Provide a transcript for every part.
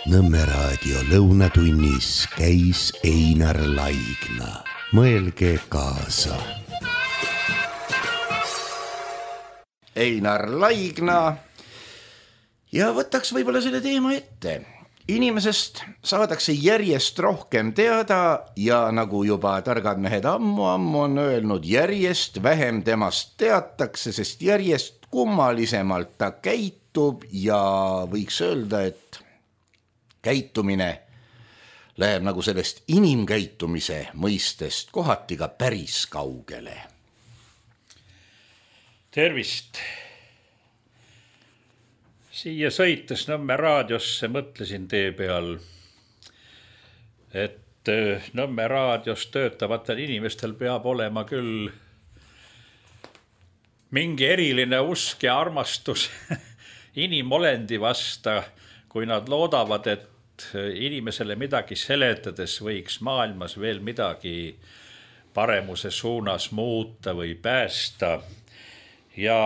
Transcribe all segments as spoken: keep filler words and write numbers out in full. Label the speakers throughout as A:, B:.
A: Nõmme raadio lõunatunnis käis Einar Laigna. Mõelge kaasa. Einar Laigna ja võtaks võib-olla selle teema ette. Inimesest saadakse järjest rohkem teada ja nagu juba targad mehed ammu-ammu on öelnud, järjest vähem temast teatakse, sest järjest kummalisemalt ta käitub ja võiks öelda, et käitumine läheb nagu sellest inimkäitumise mõistest kohati ka päris kaugele.
B: Tervist! Siia sõites Nõmme raadiosse mõtlesin tee peal, et Nõmme raadios töötavatel inimestel peab olema küll mingi eriline usk ja armastus inimolendi vasta, kui nad loodavad, et inimesele midagi seletades võiks maailmas veel midagi paremuse suunas muuta või päästa. Ja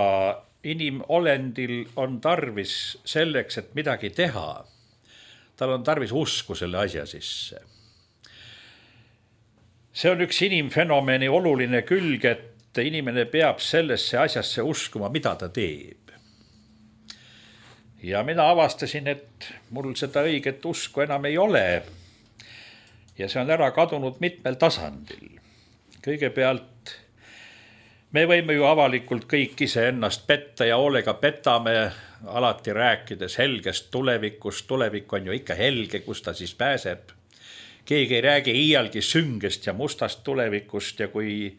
B: inimolendil on tarvis selleks, et midagi teha. Tal on tarvis usku selle asja sisse. See on üks inimfenomeni oluline külg, et inimene peab sellesse asjasse uskuma, mida ta teeb. Ja mina avastasin, et mul seda õiget usku enam ei ole. Ja see on ära kadunud mitmel tasandil. Kõigepealt me võime ju avalikult kõik ise ennast petta ja hoolega petame, alati rääkides helgest tulevikust. Tulevik on ju ikka helge, kus ta siis pääseb. Keegi ei räägi iialgi süngest ja mustast tulevikust ja kui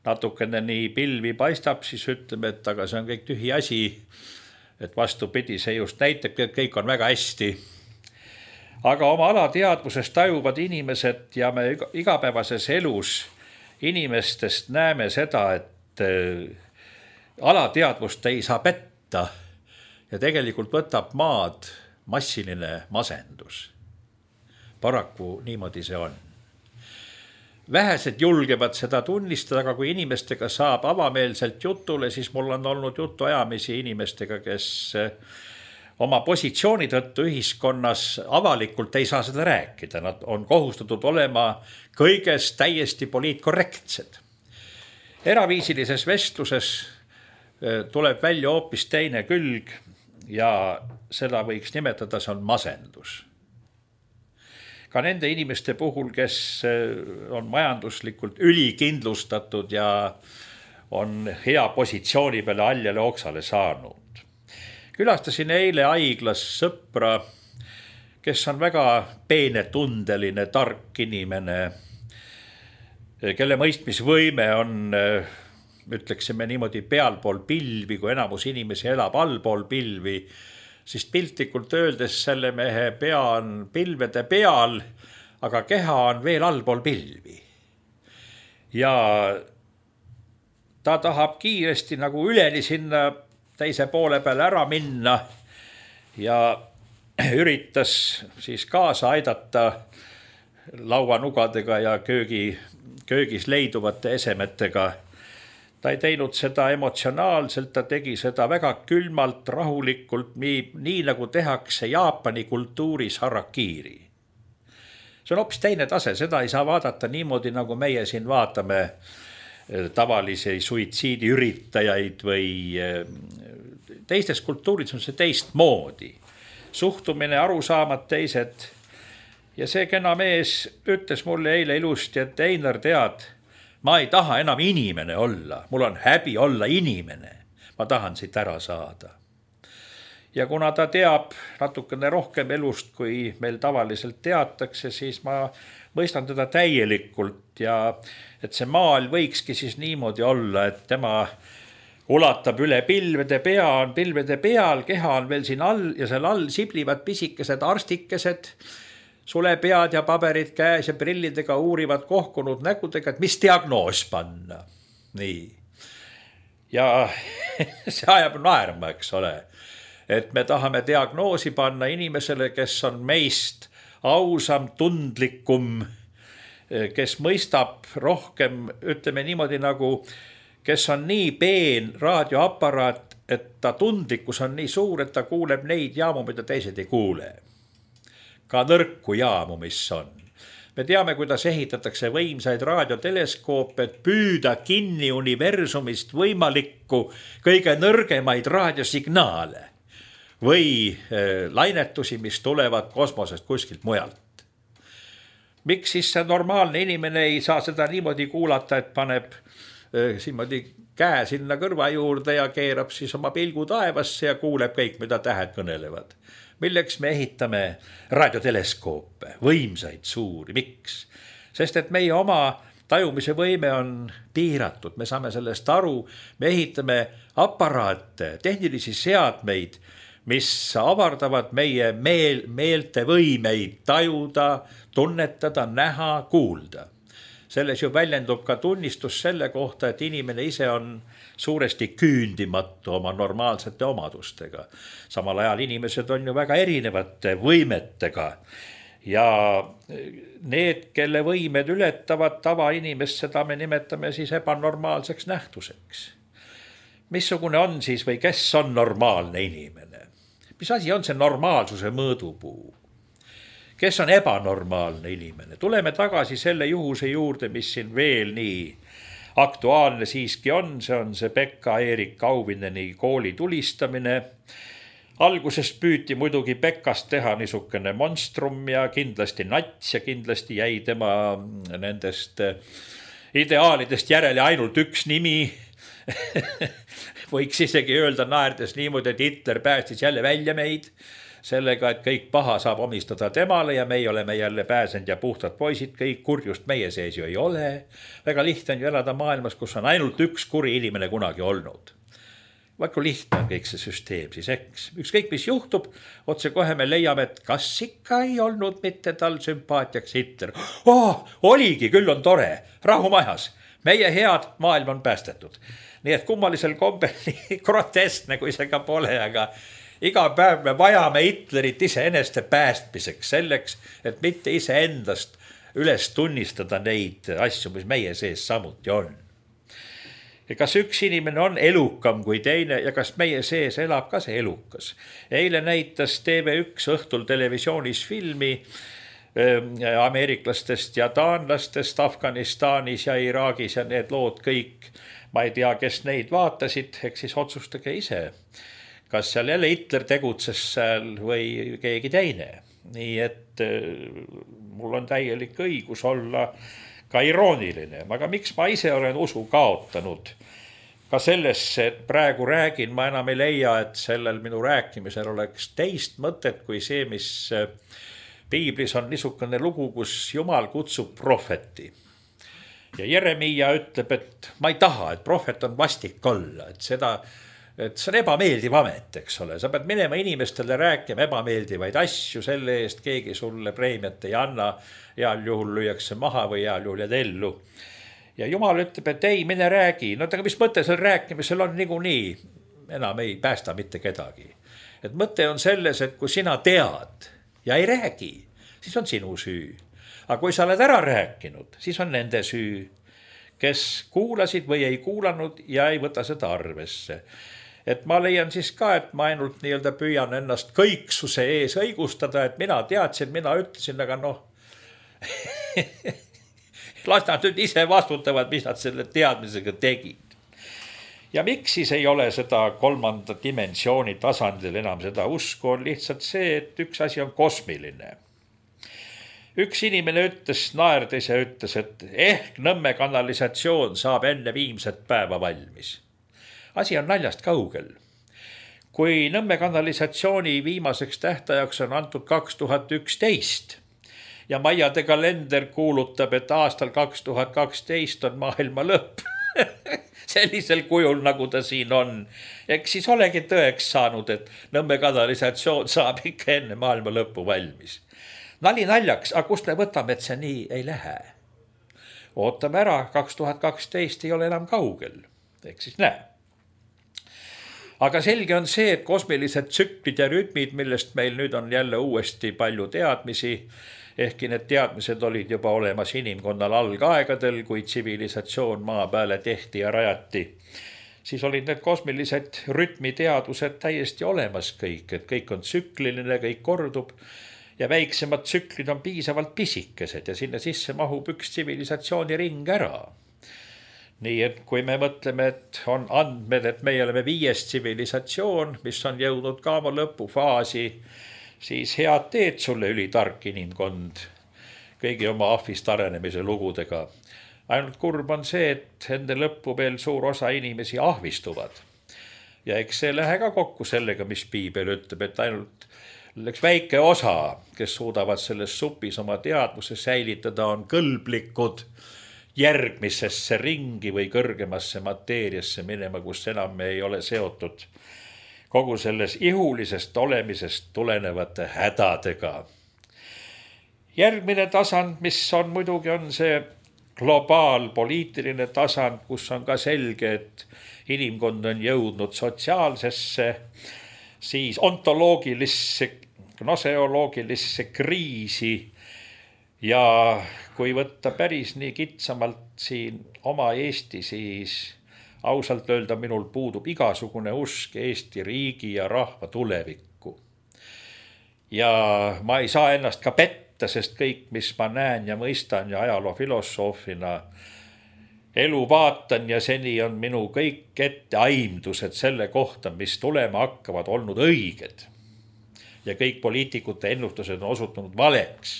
B: natukene nii pilvi paistab, siis ütleme, et aga see on kõik tühi asi. Et vastupidi, see just näitab, et kõik on väga hästi. Aga oma alateadvusest tajuvad inimesed ja me igapäevases elus inimestest näeme seda, et alateadvust ei saa petta ja tegelikult võtab maad massiline masendus. Paraku niimoodi see on. Vähesed julgevad seda tunnistada, aga kui inimestega saab avameelselt jutule, siis mul on olnud jutu ajamisi inimestega, kes oma positsiooni tõttu ühiskonnas avalikult ei saa seda rääkida. Nad on kohustatud olema kõiges täiesti poliitkorrektsed. Eraviisilises vestluses tuleb välja hoopis teine külg ja seda võiks nimetada, see on masendus. Ka nende inimeste puhul, kes on majanduslikult ülikindlustatud ja on hea positsiooni peale aljale oksale saanud. Külastasin eile haiglas sõpra, kes on väga peenetundeline, tark inimene, kelle mõistmisvõime on, ütleksime niimoodi, pealpool pilvi, kui enamus inimesi elab allpool pilvi, siis piltlikult öeldes selle mehe pea on pilvede peal, aga keha on veel allpool pilvi. Ja ta tahab kiiresti nagu üleni sinna teise poole peale ära minna ja üritas siis kaasa aidata lauanugadega ja köögi, köögis leiduvate esemetega. Ta ei teinud seda emotsionaalselt, ta tegi seda väga külmalt, rahulikult, nii, nii nagu tehakse Jaapani kultuuris harakiri. See on hoopis teine tase, seda ei saa vaadata niimoodi, nagu meie siin vaatame tavalisi suitsiidiüritajaid või teistes kultuuris on see teist moodi. Suhtumine, arusaamad teised. Ja see kena mees ütles mulle eile ilusti, et Einar, tead, ma ei taha enam inimene olla, mul on häbi olla inimene, ma tahan siit ära saada. Ja kuna ta teab natukene rohkem elust, kui meil tavaliselt teatakse, siis ma mõistan teda täielikult ja et see maal võikski siis niimoodi olla, et tema ulatab üle pilvede pea, on pilvede peal, keha on veel siin all ja seal all siblivad pisikesed arstikesed, sulepead ja paberid käes ja prillidega uurivad kohkunud nägudega, et mis diagnoos panna. Nii. Ja see ajab naerma, eks ole. Et me tahame diagnoosi panna inimesele, kes on meist ausam, tundlikum, kes mõistab rohkem, ütleme niimoodi nagu, kes on nii peen raadioaparaat, et ta tundlikkus on nii suur, et ta kuuleb neid jaamu, mida teised ei kuule. ka nõrku jaamu, mis on. Me teame, kuidas ehitatakse võimsaid raadioteleskoope, et püüda kinni universumist võimalikku kõige nõrgemaid raadiosignaale või lainetusi, mis tulevad kosmosest kuskilt mujalt. Miks siis see normaalne inimene ei saa seda niimoodi kuulata, et paneb niimoodi käe sinna kõrva juurde ja keerab siis oma pilgu taevasse ja kuuleb kõik, mida tähed kõnelevad? Milleks me ehitame raadioteleskoope, võimsaid suuri, miks? Sest et meie oma tajumise võime on piiratud, me saame sellest aru, me ehitame aparaate, tehnilisi seadmeid, mis avardavad meie meel, meelte võimeid tajuda, tunnetada, näha, kuulda. Selles ju väljendub ka tunnistus selle kohta, et inimene ise on suuresti küündimatu oma normaalsete omadustega. Samal ajal inimesed on ju väga erinevate võimetega ja need, kelle võimed ületavad tavainimest, seda me nimetame siis ebanormaalseks nähtuseks. Missugune on siis või kes on normaalne inimene? Mis asi on see normaalsuse mõõdupuu? Kes on ebanormaalne inimene? Tuleme tagasi selle juhuse juurde, mis siin veel nii aktuaalne siiski on. See on see Pekka-Erik Kauvineni kooli tulistamine. Algusest püüti muidugi Pekast teha niisugune monstrum ja kindlasti nats ja kindlasti jäi tema nendest ideaalidest järele ainult üks nimi. Võiks isegi öelda naerdes niimoodi, et Hitler päästis jälle välja meid. Sellega, et kõik paha saab omistada temale ja meie oleme jälle pääsenud ja puhtad poisid, kõik kurjust meie sees ju ei ole. Väga lihtne on ju elada maailmas, kus on ainult üks kuri inimene kunagi olnud. Vaiku lihtne on kõik see süsteem siis, eks. Ükskõik mis juhtub, otse kohe me leiame, et kas ikka ei olnud mitte tal sümpaatiaks Hitler. Oh, oligi, küll on tore, rahumajas. Meie head maailm on päästetud. Nii et kummalisel kombel nii groteskne, kui see ka pole, aga iga päev me vajame Hitlerit ise eneste päästmiseks selleks, et mitte ise endast üles tunnistada neid asju, mis meie sees samuti on. Ja kas üks inimene on elukam kui teine ja kas meie sees elab ka see elukas? Eile näitas T V üks õhtul televisioonis filmi ameeriklastest ja taanlastest Afganistanis ja Iraagis ja need lood kõik. Ma ei tea, kes neid vaatasid, eks siis otsustage ise. Kas seal jälle Hitler tegutses seal või keegi teine. Nii et mul on täielik õigus olla ka irooniline. Aga miks ma ise olen usu kaotanud? Ka sellesse, et praegu räägin, ma enam ei leia, et sellel minu rääkimisel oleks teist mõtet kui see, mis Piiblis on niisugune lugu, kus Jumal kutsub prohveti. Ja Jeremia ütleb, et ma ei taha, et prohvet on vastik olla, et seda... et see on ebameeldiv amet, eks ole. Sa pead minema inimestele rääkima ebameeldivaid asju, selle eest keegi sulle preemiat ei anna, heal juhul lüüakse maha või heal juhul jääd ellu. Ja Jumal ütleb, et ei, mine räägi. No aga mis mõte seal rääkimisel on niikuinii? Enam ei päästa mitte kedagi. Et mõte on selles, et kui sina tead ja ei räägi, siis on sinu süü. Aga kui sa oled ära rääkinud, siis on nende süü, kes kuulasid või ei kuulanud ja ei võta seda arvesse. Et ma leian siis ka, et ma ainult nii-öelda püüan ennast kõiksuse ees õigustada, et mina teadsin, mina ütlesin, aga noh, las nad nüüd ise vastutavad, mis nad selle teadmisega tegid. Ja miks siis ei ole seda kolmanda dimensiooni tasandil enam seda usku, on lihtsalt see, et üks asi on kosmiline. Üks inimene ütles, naerdes ja ütles, et ehk Nõmme kanalisatsioon saab enne viimset päeva valmis. Asi on naljast kaugel. Kui Nõmme kanalisatsiooni viimaseks tähtajaks on antud kaks tuhat üksteist ja Maiade kalender kuulutab, et aastal kaks tuhat kaksteist on maailma lõpp sellisel kujul, nagu ta siin on. Eks siis olegi tõeks saanud, et Nõmme kanalisatsioon saab ikka enne maailma lõppu valmis. Nali naljaks, aga kust me võtame, et see nii ei lähe? Ootame ära, kaks tuhat kaksteist ei ole enam kaugel. Eks siis näe. Aga selge on see, et kosmilised tsüklid ja rütmid, millest meil nüüd on jälle uuesti palju teadmisi, ehkki need teadmised olid juba olemas inimkonnal algaegadel, kui tsivilisatsioon maa peale tehti ja rajati, siis olid need kosmilised rütmiteadused täiesti olemas kõik, et kõik on tsükliline, kõik kordub. ja väiksemad tsüklid on piisavalt pisikesed ja sinna sisse mahub üks tsivilisatsiooni ring ära. Nii et kui me mõtleme, et on andmed, et meie oleme viies tsivilisatsioon, mis on jõudnud ka oma lõpufaasi, siis head teed sulle ülitark inimkond kõigi oma ahvist arenemise lugudega. Ainult kurb on see, et enne lõppu veel suur osa inimesi ahvistuvad. Ja eks see lähe ka kokku sellega, mis piibel ütleb, et ainult üks väike osa, kes suudavad selles supis oma teadvuse säilitada, on kõlblikud järgmisesse ringi või kõrgemasse mateeriasse minema, kus enam me ei ole seotud kogu selles ihulisest olemisest tulenevate hädadega. Järgmine tasand, mis on muidugi, on see globaalpoliitiline tasand, kus on ka selge, et inimkond on jõudnud sotsiaalsesse, siis ontoloogilisse, gnoseoloogilisse kriisi. Ja kui võtta päris nii kitsamalt siin oma Eesti, siis ausalt öelda minul puudub igasugune usk Eesti riigi ja rahva tulevikku. Ja ma ei saa ennast ka petta, sest kõik, mis ma näen ja mõistan ja ajaloofilosoofina elu vaatan ja seni on minu kõik ette aimdused selle kohta, mis tulema hakkavad, olnud õiged. Ja kõik poliitikute ennustused on osutunud valeks.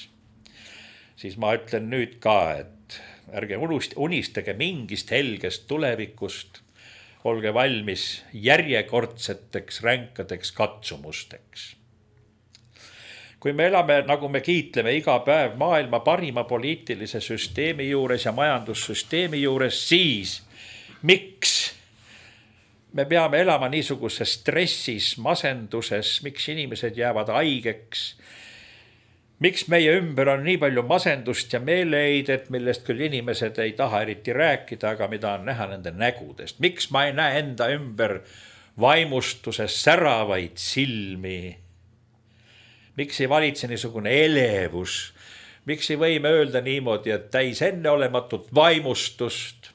B: Siis ma ütlen nüüd ka, et ärge unistage mingist helgest tulevikust, olge valmis järjekordseteks ränkadeks katsumusteks. Kui me elame, nagu me kiitleme iga päev maailma parima poliitilise süsteemi juures ja majandussüsteemi juures, siis miks me peame elama niisuguses stressis, masenduses, miks inimesed jäävad haigeks, miks meie ümber on nii palju masendust ja meeleheidet, millest küll inimesed ei taha eriti rääkida, aga mida on näha nende nägudest? Miks ma ei näe enda ümber vaimustuses säravaid silmi? Miks ei valitse niisugune elevus? Miks ei võime öelda niimoodi, et täis enneolematut vaimustust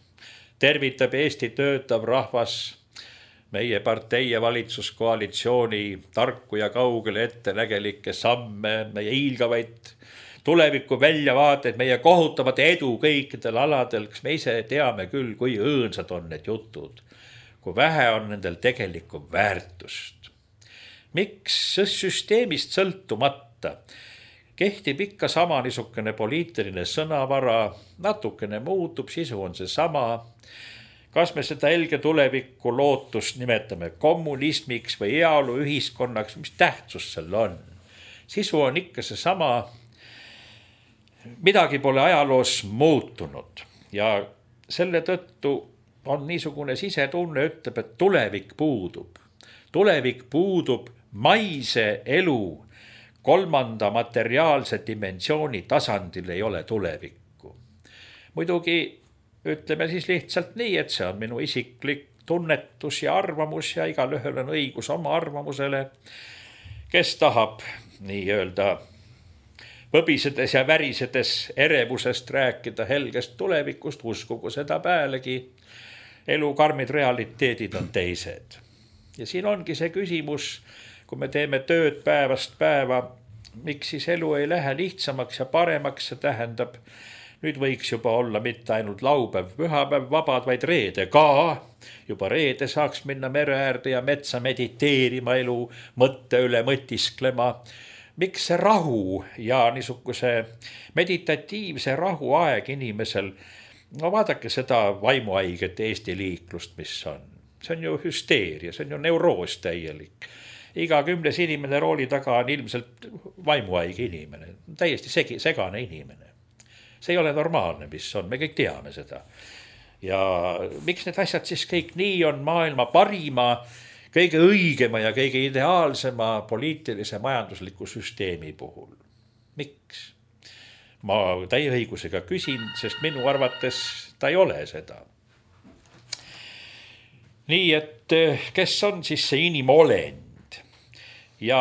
B: tervitab Eesti töötav rahvas meie partei ja valitsuskoalitsiooni tarku ja kaugele ettenägelikke samme, meie hiilgavaid tuleviku väljavaateid, meie kohutavat edu kõikidel aladel, kas me ise teame küll, kui õõnsad on need jutud, kui vähe on nendel tegelikku väärtust. Miks süsteemist sõltumata kehtib ikka sama niisugune poliitiline sõnavara, natukene muutub, sisu on see sama. Kas me seda helge tulevikku lootust nimetame kommunismiks või heaolu ühiskonnaks, mis tähtsus seal on? Sisu on ikka see sama, midagi pole ajaloos muutunud ja selle tõttu on niisugune sisetunne ütleb, et tulevik puudub. Tulevik puudub maise elu, kolmanda materiaalse dimensiooni tasandil ei ole tulevikku. Muidugi ütleme siis lihtsalt nii, et see on minu isiklik tunnetus ja arvamus ja igal ühel on õigus oma arvamusele, kes tahab nii öelda võbisedes ja värisedes erevusest rääkida helgest tulevikust, uskugu seda päälegi. Elu karmid realiteedid on teised. Ja siin ongi see küsimus, kui me teeme tööd päevast päeva, miks siis elu ei lähe lihtsamaks ja paremaks, see tähendab, nüüd võiks juba olla mitte ainult laupäev, pühapäev, vabad, vaid reede ka. Juba reede saaks minna mere äärde ja metsa mediteerima elu, mõtte üle mõtisklema. Miks see rahu ja niisuguse meditatiivse rahu aeg inimesel, no vaadake seda vaimuhaiget Eesti liiklust, mis on. See on ju hüsteeria, see on ju neuroos täielik. Iga kümnes inimene rooli taga on ilmselt vaimuhaige inimene, täiesti segi, segane inimene. See ei ole normaalne, mis on, me kõik teame seda. Ja miks need asjad siis kõik nii on maailma parima, kõige õigema ja kõige ideaalsema poliitilise majandusliku süsteemi puhul? Miks? Ma täie õigusega küsin, sest minu arvates ta ei ole seda. Nii et kes on siis see inimolend? Ja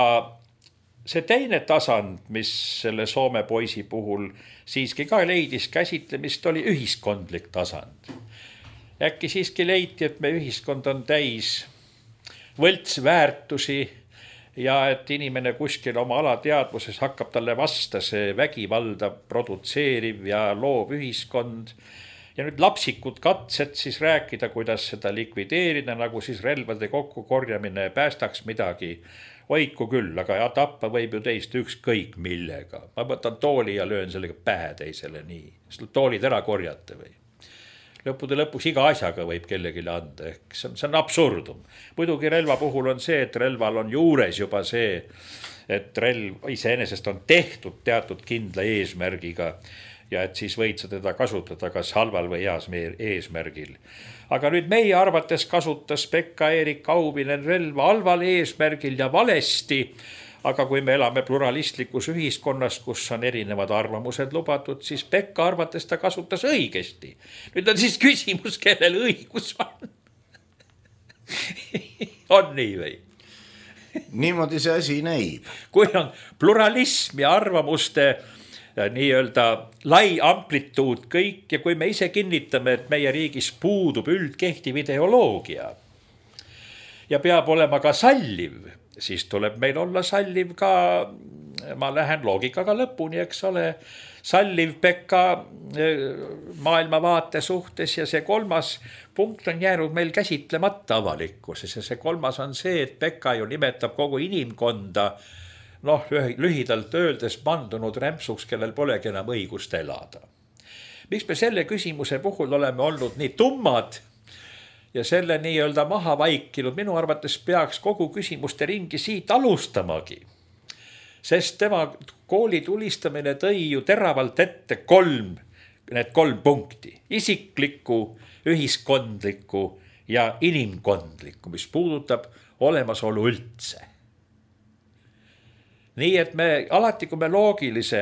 B: see teine tasand, mis selle Soome poisi puhul siiski ka leidis käsitlemist, oli ühiskondlik tasand. Äkki siiski leiti, et me ühiskond on täis võltsväärtusi ja et inimene kuskil oma alateadvuses hakkab talle vasta see vägivalda produtseeriv ja loov ühiskond. Ja nüüd lapsikud katsed siis rääkida, kuidas seda likvideerida, nagu siis relvade kokkukorjamine päästaks midagi. Hoidku küll, aga ja tappa võib ju teist ükskõik millega. Ma võtan tooli ja löön sellega pähe teisele nii. Siis toolid ära korjate või? Lõppude lõpuks iga asjaga võib kellegile anda. Ehk see on, see on absurdum. Muidugi relva puhul on see, et relval on juures juba see, et relv iseenesest on tehtud teatud kindla eesmärgiga ja et siis võid sa teda kasutada kas halval või heas eesmärgil. Aga nüüd meie arvates kasutas Pekka-Erik Auvinen relva halval eesmärgil ja valesti, aga kui me elame pluralistlikus ühiskonnas, kus on erinevad arvamused lubatud, siis Pekka arvates ta kasutas õigesti. Nüüd on siis küsimus, kellel õigus on. On nii või?
A: Niimoodi see asi näib.
B: Kui on pluralism ja arvamuste nii-öelda lai amplituud kõik ja kui me ise kinnitame, et meie riigis puudub üldkehtiv ideoloogia ja peab olema ka salliv, siis tuleb meil olla salliv ka, ma lähen loogikaga lõpuni, eks ole, salliv Pekka maailmavaate suhtes ja see kolmas punkt on jäänud meil käsitlemata avalikkuses ja see kolmas on see, et Pekka ju nimetab kogu inimkonda noh, lühidalt öeldes mandunud rämpsuks, kellel polegi enam õigust elada. Miks me selle küsimuse puhul oleme olnud nii tummad ja selle nii-öelda maha vaikinud, minu arvates peaks kogu küsimuste ringi siit alustamagi. Sest tema kooli tulistamine tõi ju teravalt ette kolm, need kolm punkti. Isiklikku, ühiskondlikku ja inimkondlikku, mis puudutab olemasolu üldse. Nii et me alati, kui me loogilise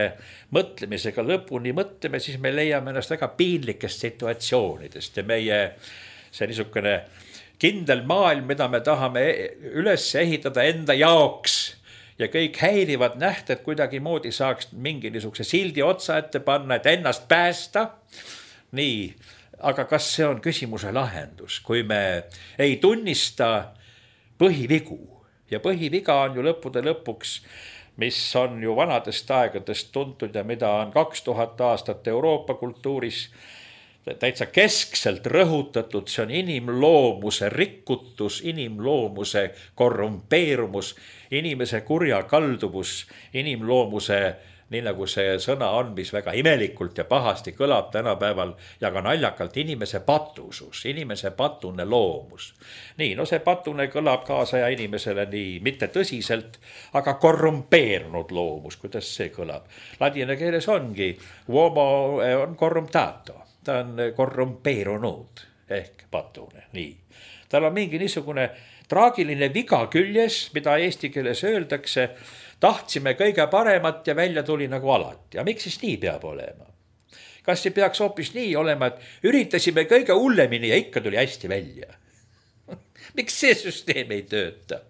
B: mõtlemisega lõpuni mõtleme, siis me leiame ennast väga piinlikest situatsioonidest ja meie see niisugune kindel maailm, mida me tahame üles ehitada enda jaoks ja kõik häirivad nähted kuidagi moodi saaks mingi niisuguse sildi otsa ette panna, et ennast päästa. Nii, aga kas see on küsimuse lahendus, kui me ei tunnista põhivigu ja põhiviga on ju lõppude lõpuks, mis on ju vanadest aegadest tuntud ja mida on kaks tuhat aastat Euroopa kultuuris täitsa keskselt rõhutatud, see on inimloomuse rikutus, inimloomuse korrumpeerumus, inimese kurja kalduvus, inimloomuse, nii nagu see sõna on, mis väga imelikult ja pahasti kõlab tänapäeval ja ka naljakalt, inimese patusus, inimese patune loomus. Nii, no see patune kõlab kaasaja inimesele nii mitte tõsiselt, aga korrumpeerunud loomus, kuidas see kõlab. Ladina keeles ongi, uomo on korrumtato, ta on korrumpeerunud ehk patune, nii. Tal on mingi niisugune traagiline viga küljes, mida eesti keeles öeldakse, tahtsime kõige paremat ja välja tuli nagu alati. Ja miks siis nii peab olema? Kas see peaks hoopis nii olema, et üritasime kõige hullemini ja ikka tuli hästi välja? Miks see süsteem ei tööta?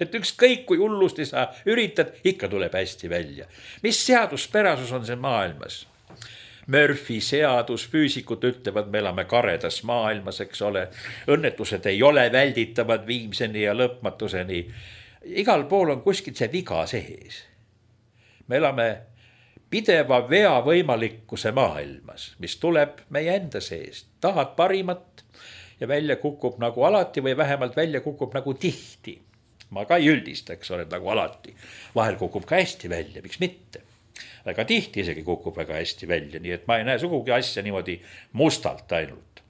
B: Et ükskõik kui hullusti sa üritad, ikka tuleb hästi välja. Mis seaduspärasus on see maailmas? Murphy seadus, füüsikud ütlevad, me elame karedas maailmas, eks ole. Õnnetused ei ole välditavad viimseni ja lõpmatuseni. Igal pool on kuskil see viga sees. Me elame pideva vea võimalikkuse maailmas, mis tuleb meie enda seest. Tahad parimat ja välja kukub nagu alati või vähemalt välja kukub nagu tihti. Ma ka ei üldista, eks ole, nagu alati. Vahel kukub ka hästi välja, miks mitte. Aga tihti isegi kukub väga hästi välja, nii et ma ei näe sugugi asja niimoodi mustalt ainult.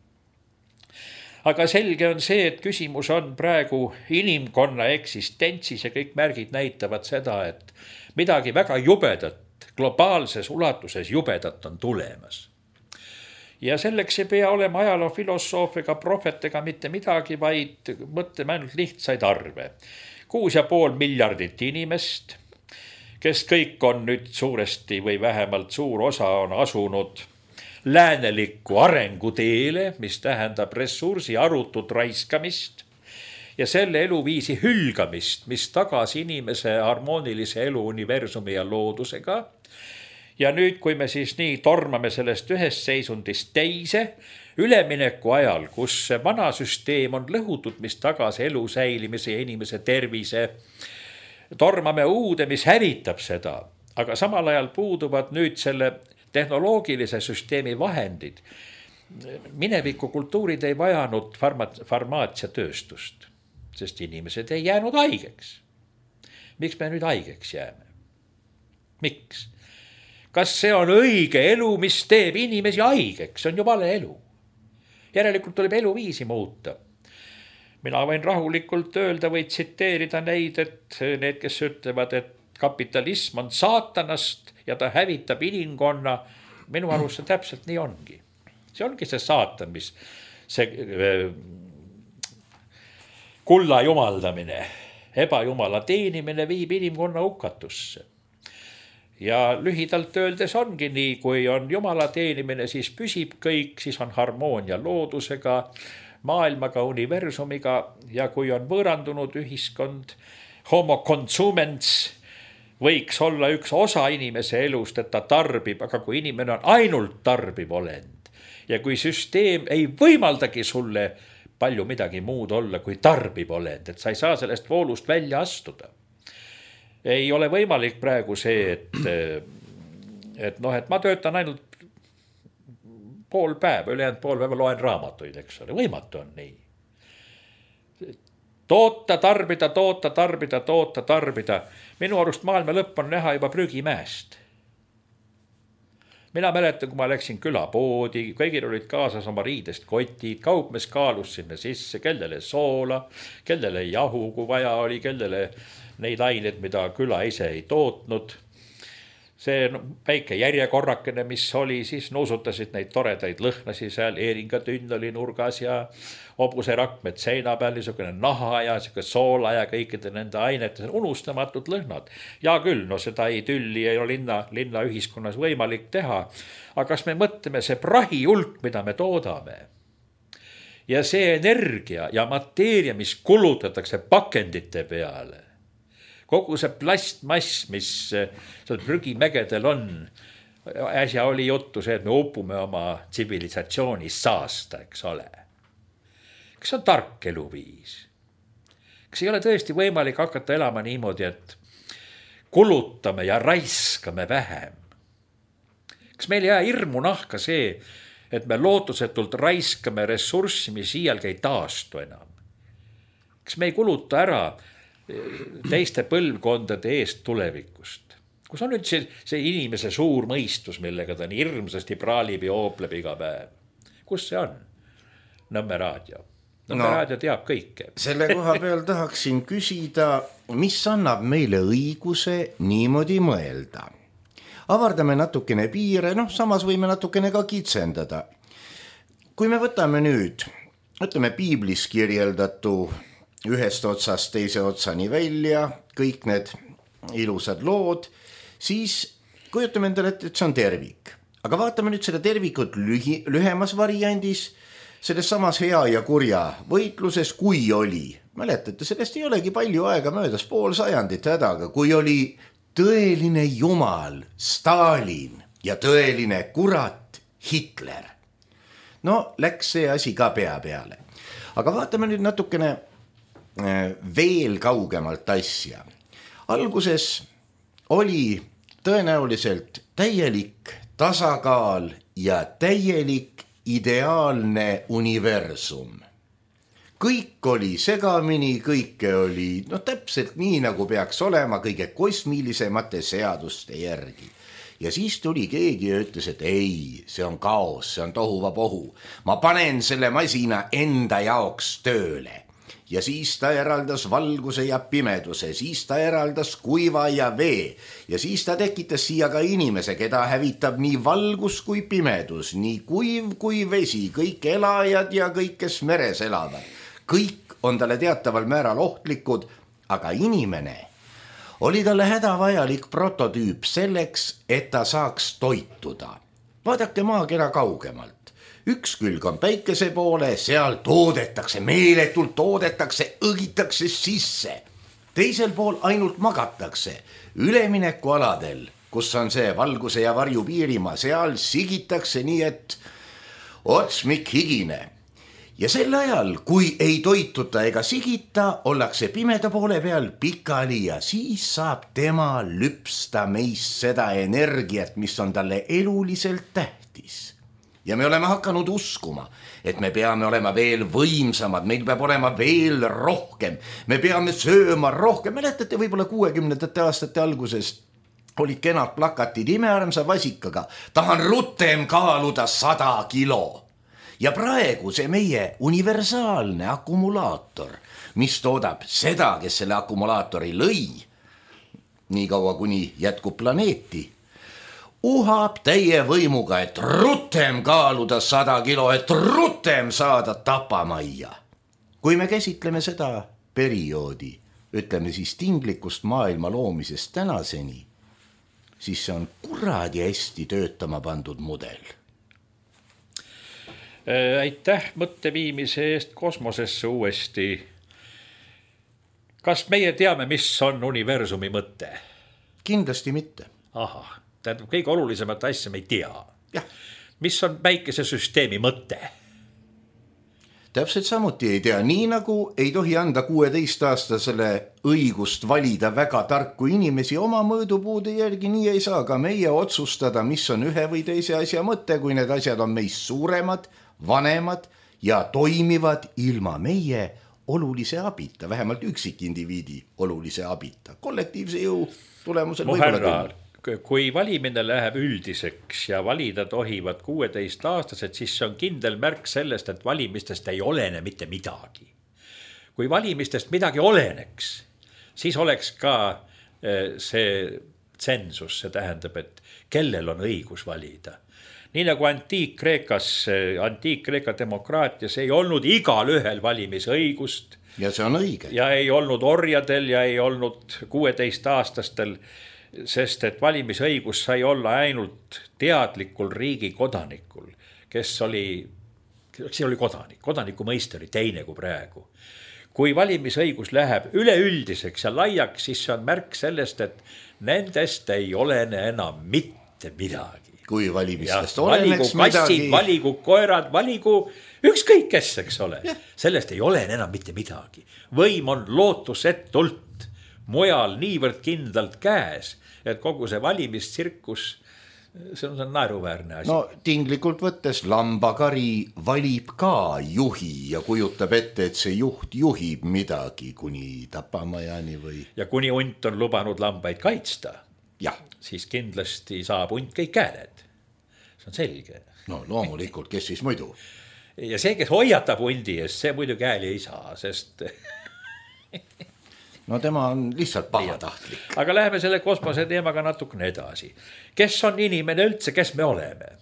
B: Aga selge on see, et küsimus on praegu inimkonna eksistentsis ja kõik märgid näitavad seda, et midagi väga jubedat, globaalses ulatuses jubedat on tulemas. Ja selleks ei pea olema ajaloo filosoofiga, prohvetega mitte midagi, vaid mõtleme ainult lihtsaid arve. Kuus ja pool miljardit inimest, kes kõik on nüüd suuresti või vähemalt suur osa on asunud läänelikku arenguteele, mis tähendab ressursi arutut raiskamist ja selle eluviisi hülgamist, mis tagas inimese harmoonilise elu universumi ja loodusega. Ja nüüd, kui me siis nii tormame sellest ühest seisundist teise, ülemineku ajal, kus see vana süsteem on lõhutud, mis tagas elu säilimise ja inimese tervise, tormame uude, mis hävitab seda, aga samal ajal puuduvad nüüd selle tehnoloogilise süsteemi vahendid. Mineviku kultuurid ei vajanud farma- farmaatsiatööstust, sest inimesed ei jäänud haigeks. Miks me nüüd haigeks jääme? Miks? Kas see on õige elu, mis teeb inimesi haigeks? See on ju vale elu. Järelikult tuleb eluviisi muuta. Mina võin rahulikult öelda või tsiteerida neid, et need, kes ütlevad, et kapitalism on saatanast ja ta hävitab inimkonna, minu arust see täpselt nii ongi. See ongi see saatan, mis see kulla jumaldamine, ebajumala teenimine viib inimkonna hukatusse. Ja lühidalt öeldes ongi nii, kui on jumala teenimine, siis püsib kõik, siis on harmoonia loodusega, maailmaga, universumiga ja kui on võõrandunud ühiskond, homo consumens võiks olla üks osa inimese elust, et ta tarbib, aga kui inimene on ainult tarbiv olend ja kui süsteem ei võimaldagi sulle palju midagi muud olla kui tarbib olend, et sa ei saa sellest voolust välja astuda. Ei ole võimalik praegu see, et, et, noh, et ma töötan ainult pool päeva, ülejäänud pool päeva loen raamatuid, eks ole, võimatu on nii. Toota, tarbida, toota, tarbida, toota, tarbida. Minu arust maailma lõpp on näha juba prügimäest. Mina mäletan, kui ma läksin külapoodi, kõigil olid kaasas oma riidest kotid, kaupmees kaalus sinna sisse, kellele soola, kellele jahu, kui vaja oli, kellele neid aineid, mida küla ise ei tootnud. See väike järjekorrakene, mis oli, siis nuusutasid neid toredaid lõhnasi seal, eeringatünn oli nurgas ja hobuserakmed seina peal, niisugune naha ja soola ja kõikide nende ainete, unustamatud lõhnad. Ja küll, no seda ei tülli ei ole linna, linna ühiskonnas võimalik teha. Aga kas me mõtleme see prahi hulk, mida me toodame? Ja see energia ja mateeria, mis kulutatakse pakendite peale, kogu see plastmass, mis seal prügimägedel on, äsja oli juttu see, et me upume oma tsivilisatsiooni saasta, eks ole. Kas on tark eluviis? Kas ei ole tõesti võimalik hakata elama niimoodi, et kulutame ja raiskame vähem? Kas meil jää hirmu nahka see, et me lootusetult raiskame ressurssi, mis iialgi ei taastu enam? Kas me ei kuluta ära teiste põlvkondade eest tulevikust? Kus on nüüd see, see inimese suur mõistus, millega ta nii hirmsasti praalib ja oopleb iga päev? Kus see on? Nõmme raadio. Nõmme no, raadio teab kõike.
A: Selle koha peal tahaksin küsida, mis annab meile õiguse niimoodi mõelda? Avardame natukene piire, noh, samas võime natukene ka kitsendada. Kui me võtame nüüd, ütleme piiblis kirjeldatu ühest otsast teise otsani välja, kõik need ilusad lood, siis kujutame endale, et see on tervik. Aga vaatame nüüd seda tervikut lühi, lühemas variandis, selles samas hea ja kurja võitluses, kui oli, mäletate, sellest ei olegi palju aega möödas, pool sajandit hädaga, kui oli tõeline jumal Stalin ja tõeline kurat Hitler. No, läks see asi ka pea peale. Aga vaatame nüüd natukene veel kaugemalt asja. Alguses oli tõenäoliselt täielik tasakaal ja täielik ideaalne universum. Kõik oli segamini, kõike oli no täpselt nii, nagu peaks olema kõige kosmilisemate seaduste järgi. Ja siis tuli keegi ja ütles, et ei, see on kaos, see on tohuvapohu. Ma panen selle masina enda jaoks tööle. Ja siis ta eraldas valguse ja pimeduse, siis ta eraldas kuiva ja vee ja siis ta tekitas siia ka inimese, keda hävitab nii valgus kui pimedus, nii kuiv kui vesi, kõik elajad ja kõik, kes meres elavad. Kõik on talle teataval määral ohtlikud, aga inimene oli talle hädavajalik prototüüp selleks, et ta saaks toituda. Vaadake maakera kaugemalt. Üks külg on päikese poole, seal toodetakse, meeletult toodetakse, õgitakse sisse. Teisel pool ainult magatakse. Üleminekualadel, kus on see valguse ja varju piirimaa, seal sigitakse nii, et otsmik higine. ja sel ajal, kui ei toituta ega sigita, ollakse pimeda poole peal pikali ja siis saab tema lüpsta meist seda energiat, mis on talle eluliselt tähtis. Ja me oleme hakanud uskuma, et me peame olema veel võimsamad, meil peab olema veel rohkem, me peame sööma rohkem. Mäletate, võib-olla kuuekümnendate aastate alguses olid kenad plakatid imearmsa vasikaga, tahan rutem kaaluda sada kilo. Ja praegu see meie universaalne akumulaator, mis toodab seda, kes selle akumulaatori lõi, nii kaua kuni jätkub planeeti, uhab täie võimuga, et rutem kaaluda sada kilo, et rutem saada tapamajja. Kui me käsitleme seda perioodi, ütleme siis tinglikust maailma loomisest tänaseni, siis see on kuradi hästi töötama pandud mudel.
B: Aitäh mõtte viimise eest kosmosesse uuesti. Kas meie teame, mis on universumi mõte?
A: Kindlasti mitte.
B: Aha, tähendab, kõige olulisemat asja me ei tea.
A: Jah.
B: Mis on päikesesüsteemi mõte?
A: Täpselt samuti ei tea, nii nagu ei tohi anda kuueteistaastasele õigust valida väga tarku inimesi oma mõõdupuude järgi, nii ei saa ka meie otsustada, mis on ühe või teise asja mõte, kui need asjad on meist suuremad, vanemad ja toimivad ilma meie olulise abita, vähemalt üksikindiviidi olulise abita. Kollektiivse jõu tulemusel
B: no härra, kui valimine läheb üldiseks ja valida tohivad kuueteist aastased, siis see on kindel märk sellest, et valimistest ei olene mitte midagi. Kui valimistest midagi oleneks, siis oleks ka see tsensus, see tähendab, et kellel on õigus valida. Nii nagu Antiik-Kreekas, Antiik-Kreeka demokraatias ei olnud igal ühel valimisõigust.
A: Ja see on õige.
B: Ja ei olnud orjadel ja ei olnud kuueteist aastastel, sest et valimisõigus sai olla ainult teadlikul riigi kodanikul, kes oli, see oli kodanik, kodaniku mõiste oli teine kui praegu. Kui valimisõigus läheb üleüldiseks ja laiaks, siis see on märk sellest, et nendest ei olene enam mitte midagi.
A: Kui valimistest
B: ja,
A: oleneks
B: valigu kassid,
A: midagi.
B: Valigu koerad, valigu ükskõik kes, eks ole. Ja. Sellest ei ole enam mitte midagi. Võim on lootusetult mujal niivõrd kindlalt käes, et kogu see valimistsirkus, see on, see on naeruväärne asi.
A: No tinglikult võttes lambakari valib ka juhi ja kujutab ette, et see juht juhib midagi kuni tapamajani või...
B: Ja kuni hunt on lubanud lambaid kaitsta,
A: ja.
B: Siis kindlasti saab hunt kõik kääned. See on selge.
A: No loomulikult, kes siis muidu?
B: Ja see, kes hoiatab hundi eest, see muidu käeli ei saa, sest...
A: No tema on lihtsalt pahatahtlik.
B: Aga läheme selle kosmose teemaga natukene edasi. Kes on inimene üldse, kes me oleme?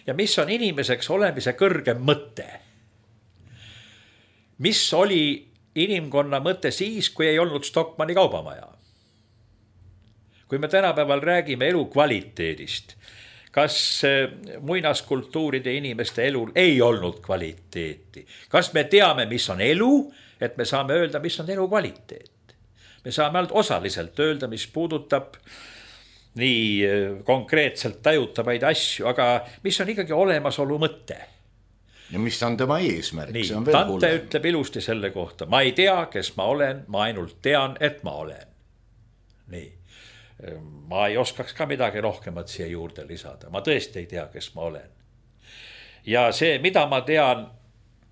B: Ja mis on inimeseks olemise kõrgem mõte? Mis oli inimkonna mõte siis, kui ei olnud Stockmanni kaubamaja? Kui me tänapäeval räägime elu kvaliteedist, kas muinaskultuuride inimeste elul ei olnud kvaliteeti? Kas me teame, mis on elu, et me saame öelda, mis on elu kvaliteet? Me saame ainult osaliselt öelda, mis puudutab nii konkreetselt tajutavaid asju, aga mis on ikkagi olemasolu mõte?
A: Ja mis on tema eesmärk?
B: Nii, Dante ütleb ilusti selle kohta. Ma ei tea, kes ma olen, ma ainult tean, et ma olen. Nii. Ma ei oskaks ka midagi rohkemat siia juurde lisada. Ma tõesti ei tea, kes ma olen. Ja see, mida ma tean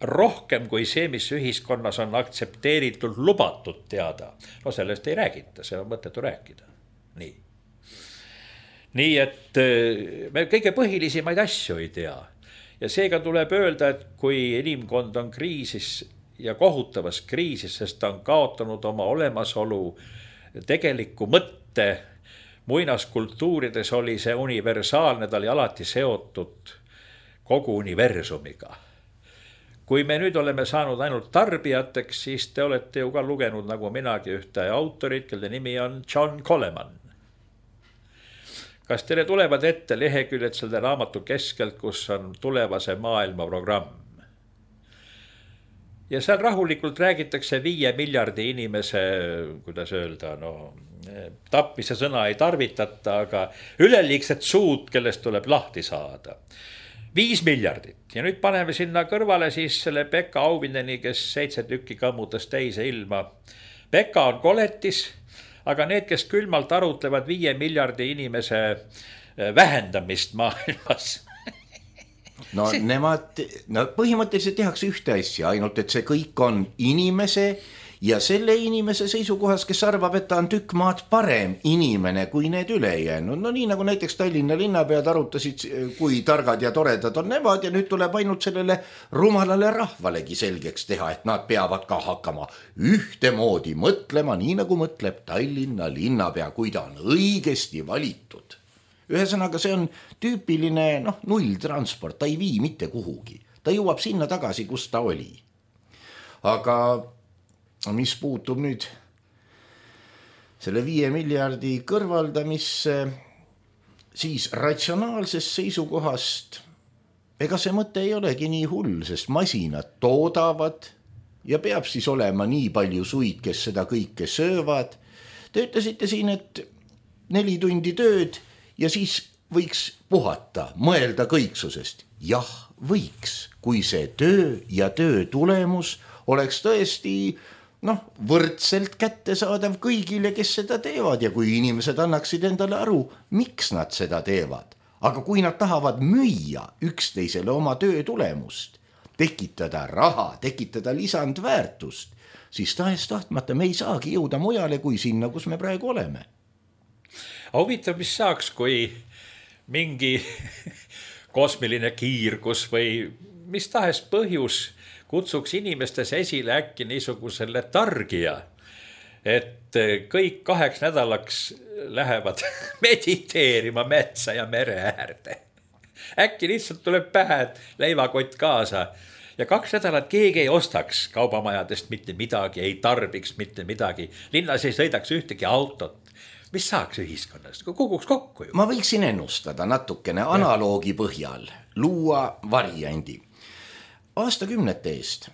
B: rohkem kui see, mis ühiskonnas on aktsepteeritud lubatud teada, no sellest ei räägita, see on mõttetu rääkida. Nii. Nii, et me kõige põhilisimaid asju ei tea. Ja seega tuleb öelda, et kui inimkond on kriisis ja kohutavas kriisis, sest ta on kaotanud oma olemasolu tegeliku mõtte, muinaskultuurides oli see universaalne, ta oli alati seotud kogu universumiga. Kui me nüüd oleme saanud ainult tarbijateks, siis te olete ju ka lugenud nagu minagi ühte autorit, kelle nimi on John Coleman. Kas teile tulevad ette leheküljed selle raamatu keskelt, kus on tulevase maailma programm? Ja seal rahulikult räägitakse viie miljardi inimese, kuidas öelda, no, tapmise sõna ei tarvitata, aga üleliigset suud, kellest tuleb lahti saada. viis miljardit ja nüüd paneme sinna kõrvale siis selle Pekka Auvindeni, kes seitse tükki kõmmutas teise ilma. Pekka on koletis, aga need, kes külmalt arutlevad viie miljardi inimese vähendamist maailmas.
A: No see... nemad, no põhimõtteliselt tehakse ühte asja, ainult et see kõik on inimese ja selle inimese seisukohas, kes arvab, et ta on tükk maad parem inimene kui need ülejäänud. No nii nagu näiteks Tallinna linnapead arutasid, kui targad ja toredad on nemad ja nüüd tuleb ainult sellele rumalale rahvalegi selgeks teha, et nad peavad ka hakkama ühtemoodi mõtlema, nii nagu mõtleb Tallinna linnapea, kui ta on õigesti valitud. Ühesõnaga see on tüüpiline noh, nulltransport, ta ei vii mitte kuhugi. Ta jõuab sinna tagasi, kus ta oli. Aga mis puutub nüüd selle viie miljardi kõrvaldamisse, siis ratsionaalsest seisukohast ega see mõte ei olegi nii hull, sest masinad toodavad ja peab siis olema nii palju suid, kes seda kõike söövad. Te ütlesite siin, et neli tundi tööd ja siis võiks puhata, mõelda kõiksusest. Jah, võiks, kui see töö ja töö tulemus oleks tõesti noh, võrdselt kättesaadav kõigile, kes seda teevad ja kui inimesed annaksid endale aru, miks nad seda teevad. Aga kui nad tahavad müüa üksteisele oma töö tulemust, tekitada raha, tekitada lisandväärtust, siis tahes tahtmata me ei saagi jõuda mujale kui sinna, kus me praegu oleme.
B: Huvitav, mis saaks, kui mingi kosmiline kiirgus või mis tahes põhjus kutsuks inimestes esile äkki niisugusele targija, et kõik kaheks nädalaks lähevad mediteerima metsa ja mere äärde. Äkki lihtsalt tuleb pähe, et leivakott kaasa ja kaks nädalat keegi ei ostaks kaubamajadest mitte midagi, ei tarbiks mitte midagi. Linnas ei sõidaks ühtegi autot. Mis saaks ühiskonnast? Kukuks kokku ju.
A: Ma võiksin ennustada natukene analoogi põhjal, luua variandi. Aastakümnete eest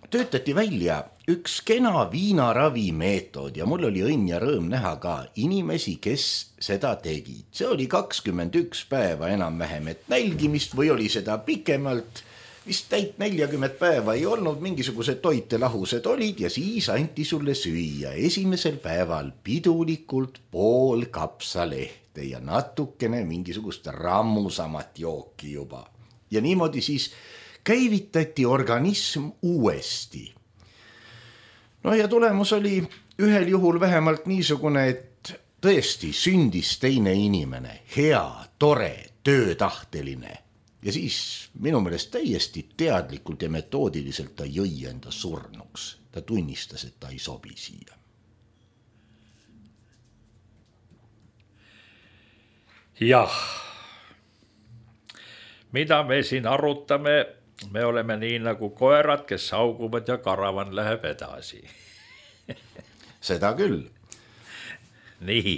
A: töötati välja üks kena viinaravi meetod ja mul oli õnn ja rõõm näha ka inimesi, kes seda tegid. See oli kakskümmend üks päeva enam-vähem, et nälgimist või oli seda pikemalt, vist täit neljakümmet päeva ei olnud, mingisugused toitelahused olid ja siis anti sulle süüa esimesel päeval pidulikult pool kapsalehte ja natukene mingisugust rammusamat jooki juba. Ja niimoodi siis käivitati organism uuesti. No ja tulemus oli ühel juhul vähemalt niisugune, et tõesti sündis teine inimene, hea, tore, töötahteline. Ja siis minu meelest täiesti teadlikult ja metoodiliselt ta jõi enda surnuks. Ta tunnistas, et ta ei sobi siia.
B: Jah, mida me siin arutame, me oleme nii nagu koerad, kes sauguvad ja karavan läheb edasi.
A: Seda küll.
B: Nii.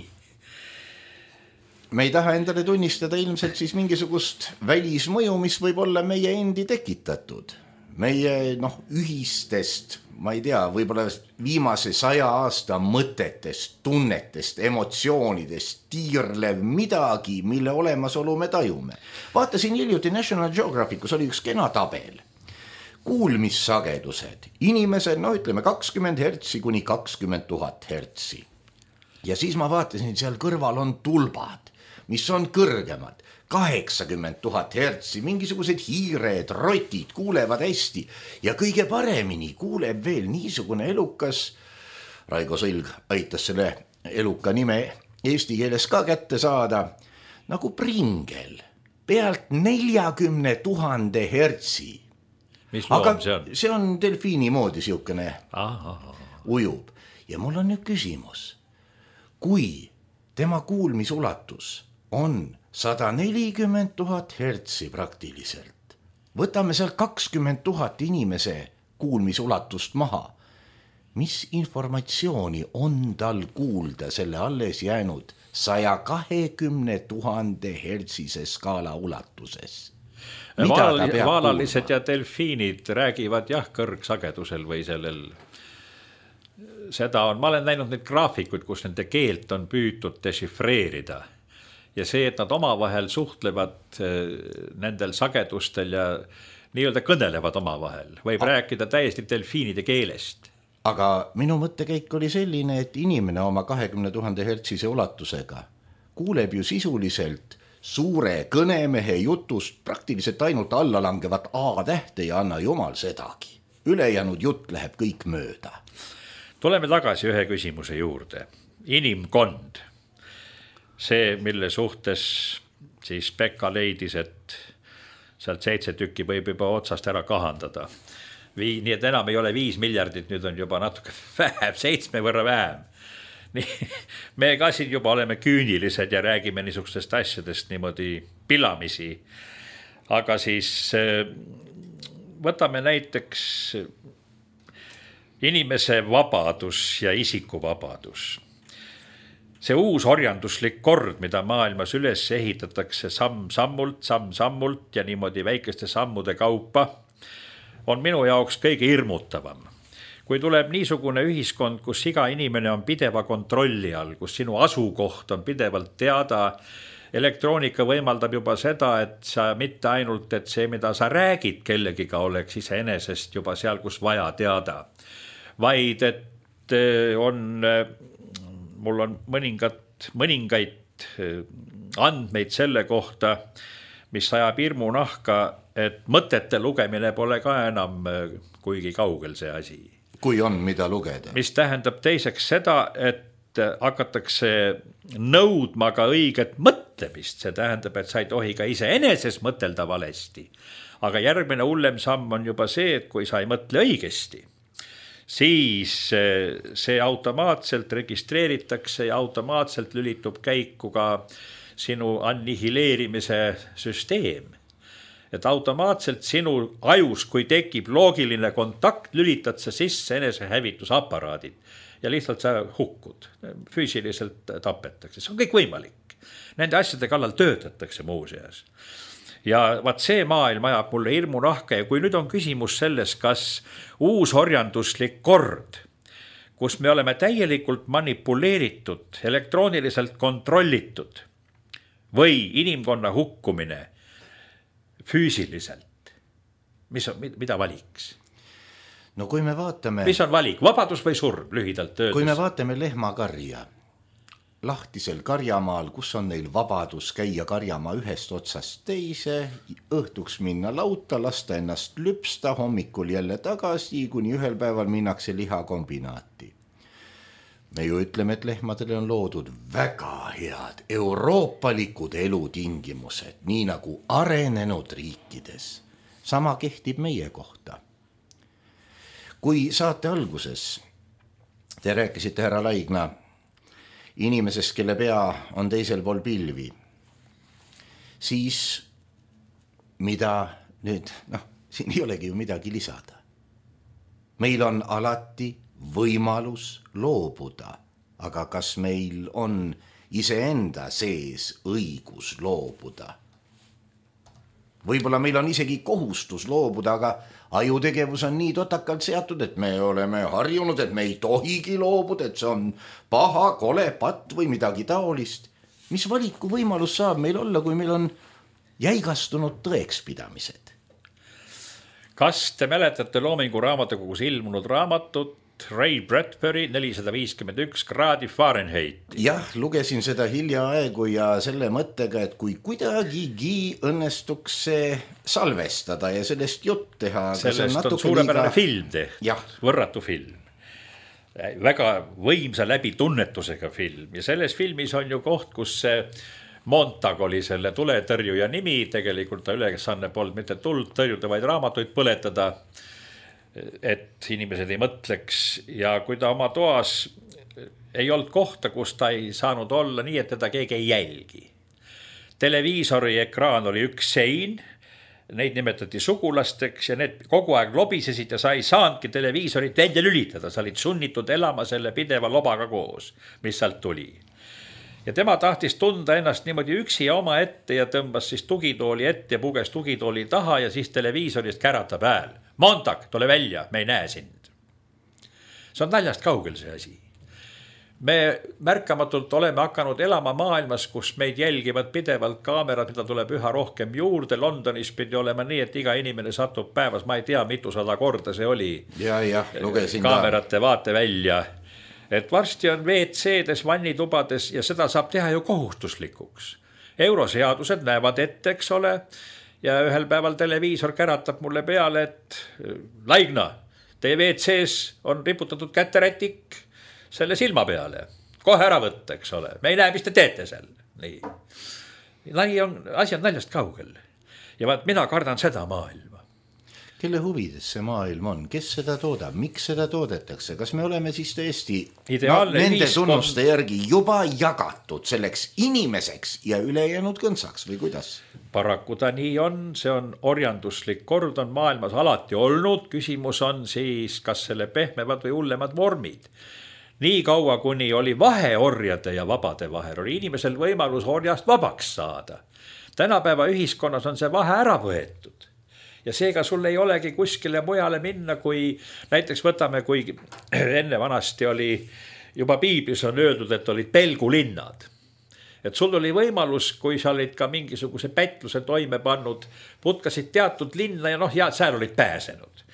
A: Me ei taha endale tunnistada ilmselt siis mingisugust välismõju, mis võib olla meie endi tekitatud. Meie noh, ühistest, ma ei tea, võib-olla viimase saja aasta mõtetest, tunnetest, emotsioonidest, tiirlev midagi, mille olemasolu me tajume. Vaatasin hiljuti National Geographicus oli üks kena tabel. Kuulmissagedused, inimesed, no ütleme kakskümmend hertsi kuni kakskümmend tuhat hertsi. Ja siis ma vaatasin, seal kõrval on tulbad, mis on kõrgemad, kaheksakümmend tuhat hertsi, mingisugused hiired, rotid kuulevad hästi ja kõige paremini kuuleb veel niisugune elukas, Raigo Sõlg aitas selle eluka nime eesti keeles ka kätte saada, nagu pringel, pealt neljakümne tuhande hertsi.
B: Mis loom
A: aga
B: see on?
A: See on delfiini moodi siukene
B: Aha.
A: ujub. Ja mul on nüüd küsimus, kui tema kuulmisulatus on sada nelikümmend tuhat hertsi praktiliselt, võtame seal kakskümmend tuhat inimese kuulmisulatust maha, mis informatsiooni on tal kuulda selle alles jäänud saja kahekümne tuhande hertsise skaala ulatuses?
B: Vaal, vaalalised kuulma? Ja delfiinid räägivad jah kõrgsagedusel või sellel, seda on, ma olen näinud neid graafikuid, kus nende keelt on püütud dešifreerida ja see, et nad omavahel suhtlevad nendel sagedustel ja nii-öelda kõnelevad omavahel, võib A rääkida täiesti delfiinide keelest.
A: Aga minu mõttekäik oli selline, et inimene oma kahekümne tuhande hertsise ulatusega kuuleb ju sisuliselt suure kõnemehe jutust praktiliselt ainult allalangevat A-tähte ja anna jumal sedagi. Ülejäänud jutt läheb kõik mööda.
B: Tuleme tagasi ühe küsimuse juurde. Inimkond. See, mille suhtes siis Pekka leidis, et sealt seitse tükki võib juba otsast ära kahandada. Vii, nii et enam ei ole viis miljardit, nüüd on juba natuke vähem, seitsme võrra vähem. Nii, me ka siin juba oleme küünilised ja räägime niisugustest asjadest niimoodi pilamisi. Aga siis võtame näiteks inimese vabadus ja isikuvabadus. See uus orjanduslik kord, mida maailmas üles ehitatakse samm-sammult, samm-sammult ja niimoodi väikeste sammude kaupa, on minu jaoks kõige hirmutavam. Kui tuleb niisugune ühiskond, kus iga inimene on pideva kontrolli all, kus sinu asukoht on pidevalt teada, elektroonika võimaldab juba seda, et sa mitte ainult, et see, mida sa räägid kellegiga, oleks iseenesest juba seal, kus vaja teada, vaid et on, mul on mõningat, mõningaid andmeid selle kohta, mis ajab hirmu nahka, et mõtete lugemine pole ka enam kuigi kaugel see asi.
A: Kui on, mida lugeda.
B: Mis tähendab teiseks seda, et hakatakse nõudma ka õiget mõtlemist. See tähendab, et sa ei tohi ka iseeneses mõtelda valesti. Aga järgmine hullem samm on juba see, et kui sa ei mõtle õigesti, siis see automaatselt registreeritakse ja automaatselt lülitub käiku ka sinu annihileerimise süsteem. Et automaatselt sinu ajus, kui tekib loogiline kontakt, lülitad sa sisse enesehävitusaparaadid ja lihtsalt sa hukkud. Füüsiliselt tapetakse. See on kõik võimalik. Nende asjade kallal töötatakse muuseas. Ja vaat see maailm ajab mulle hirmu nahka ja kui nüüd on küsimus selles, kas uus orjanduslik kord, kus me oleme täielikult manipuleeritud, elektrooniliselt kontrollitud või inimkonna hukkumine füüsiliselt, mis on, mida valiks?
A: No kui me vaatame...
B: Mis on valik, vabadus või surm, lühidalt töödes?
A: Kui me vaatame lehmakarja, lahtisel karjamaal, kus on neil vabadus käia karjamaa ühest otsast teise, õhtuks minna lauta, lasta ennast lüpsta, hommikul jälle tagasi, kuni ühel päeval minnakse lihakombinaati. Me ju ütleme, et lehmadele on loodud väga head euroopalikud elutingimused, nii nagu arenenud riikides. Sama kehtib meie kohta. Kui saate alguses te rääkisite, härra Laigna, inimesest, kelle pea on teisel pool pilvi, siis mida nüüd, noh, siin ei olegi ju midagi lisada. Meil on alati võimalus loobuda, aga kas meil on iseenda sees õigus loobuda? Võib-olla meil on isegi kohustus loobuda, aga ajutegevus on nii totakalt seatud, et me oleme harjunud, et me ei tohigi loobuda, et see on paha, kole, patt või midagi taolist. Mis valiku võimalus saab meil olla, kui meil on jäigastunud tõekspidamised?
B: Kas te mäletate Loomingu raamatukogus ilmunud raamatut Ray Bradbury nelisada viiskümmend üks kraadi Fahrenheit?
A: Jah, lugesin seda hiljaaegu ja selle mõttega, et kui kuidagigi õnnestuks see salvestada ja sellest jutt teha.
B: Sellest on, on suurepärane liiga... film tehtud, võrratu film. Väga võimsa läbi tunnetusega film ja selles filmis on ju koht, kus see Montag oli selle tuletõrjuja nimi, tegelikult ta ülesanne polnud mitte tuld tõrjuda, vaid raamatuid põletada, et inimesed ei mõtleks ja kui ta oma toas ei olnud kohta, kus ta ei saanud olla nii, et teda keegi ei jälgi. Televiisori ekraan oli üks sein, neid nimetati sugulasteks ja need kogu aeg lobisesid ja sa ei saanudki televiisorit välja lülitada, sa olid sunnitud elama selle pideva lobaga koos, mis sealt tuli. Ja tema tahtis tunda ennast niimoodi üksi ja oma ette ja tõmbas siis tugitooli ette ja puges tugitooli taha ja siis televiisorist käratab hääl. Montag, tule välja, me ei näe sind. See on naljast kaugel see asi. me märkamatult oleme hakanud elama maailmas, kus meid jälgivad pidevalt kaamerad, mida tuleb üha rohkem juurde. Londonis pidi olema nii, et iga inimene satub päevas, ma ei tea, mitusada korda see oli.
A: Ja, jah, lugesin
B: kaamerate ka. Vaate välja. Et varsti on V C-des, vannitubades ja seda saab teha ju kohustuslikuks. Euroseadused näevad ette, eks ole, ja ühel päeval televiisor käratab mulle peale, et Laigna, teie V C-s on riputatud käterätik selle silma peale. Kohe ära võtta, eks ole. Me ei näe, mis te teete seal. Nii. Lai on, asi on naljast kaugel. Ja vaat mina kardan seda maailma.
A: Kelle huvides see maailm on? Kes seda toodab? Miks seda toodetakse? Kas me oleme siis tõesti no, nende tunnuste järgi juba jagatud selleks inimeseks ja ülejäänud kõnsaks või kuidas?
B: Paraku ta nii on, see on orjanduslik kord on maailmas alati olnud. Küsimus on siis, kas selle pehmevad või hullemad vormid. Nii kaua, kuni oli vahe orjade ja vabade vahel, oli inimesel võimalus orjast vabaks saada. Tänapäeva ühiskonnas on see vahe ära võetud. Ja seega sul ei olegi kuskile mujale minna, kui näiteks võtame, kui enne vanasti oli, juba piiblis on öeldud, et olid pelgulinnad. Et sul oli võimalus, kui sa olid ka mingisuguse pätluse toime pannud, putkasid teatud linna ja noh, ja seal olid pääsenud.